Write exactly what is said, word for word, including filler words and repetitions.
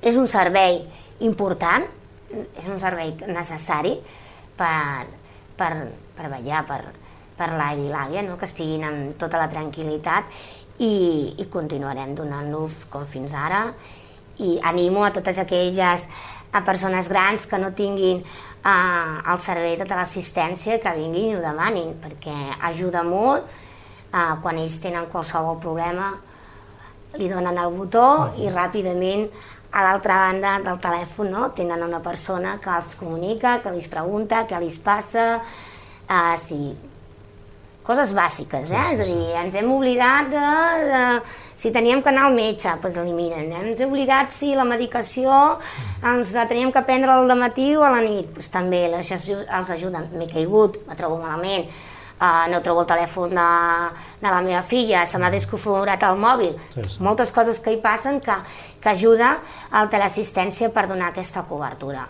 és un servei important, és un servei necessari per, per, per vetllar per, per l'avi i l'àvia, no? Que estiguin amb tota la tranquil·litat i, i continuarem donant-lo com fins ara. I animo a totes aquelles a persones grans que no tinguin eh, el servei de teleassistència que vinguin i ho demanin, perquè ajuda molt. Eh, quan ells tenen qualsevol problema li donen el botó i ràpidament a l'altra banda del telèfon, no? Tenen una persona que els comunica, que els pregunta què els passa, eh, si... coses bàsiques, eh? És a dir, ens hem oblidat de, de si teníem que anar al metge, doncs eliminen. Ens hem oblidat si la medicació ens la teníem que prendre al dematí o a la nit, doncs també els ajuden. M'he caigut, me trobo malament, uh, no trobo el telèfon de, de la meva filla, se m'ha desconfigurat el mòbil. Sí, sí. Moltes coses que hi passen que, que ajuda a la teleassistència per donar aquesta cobertura.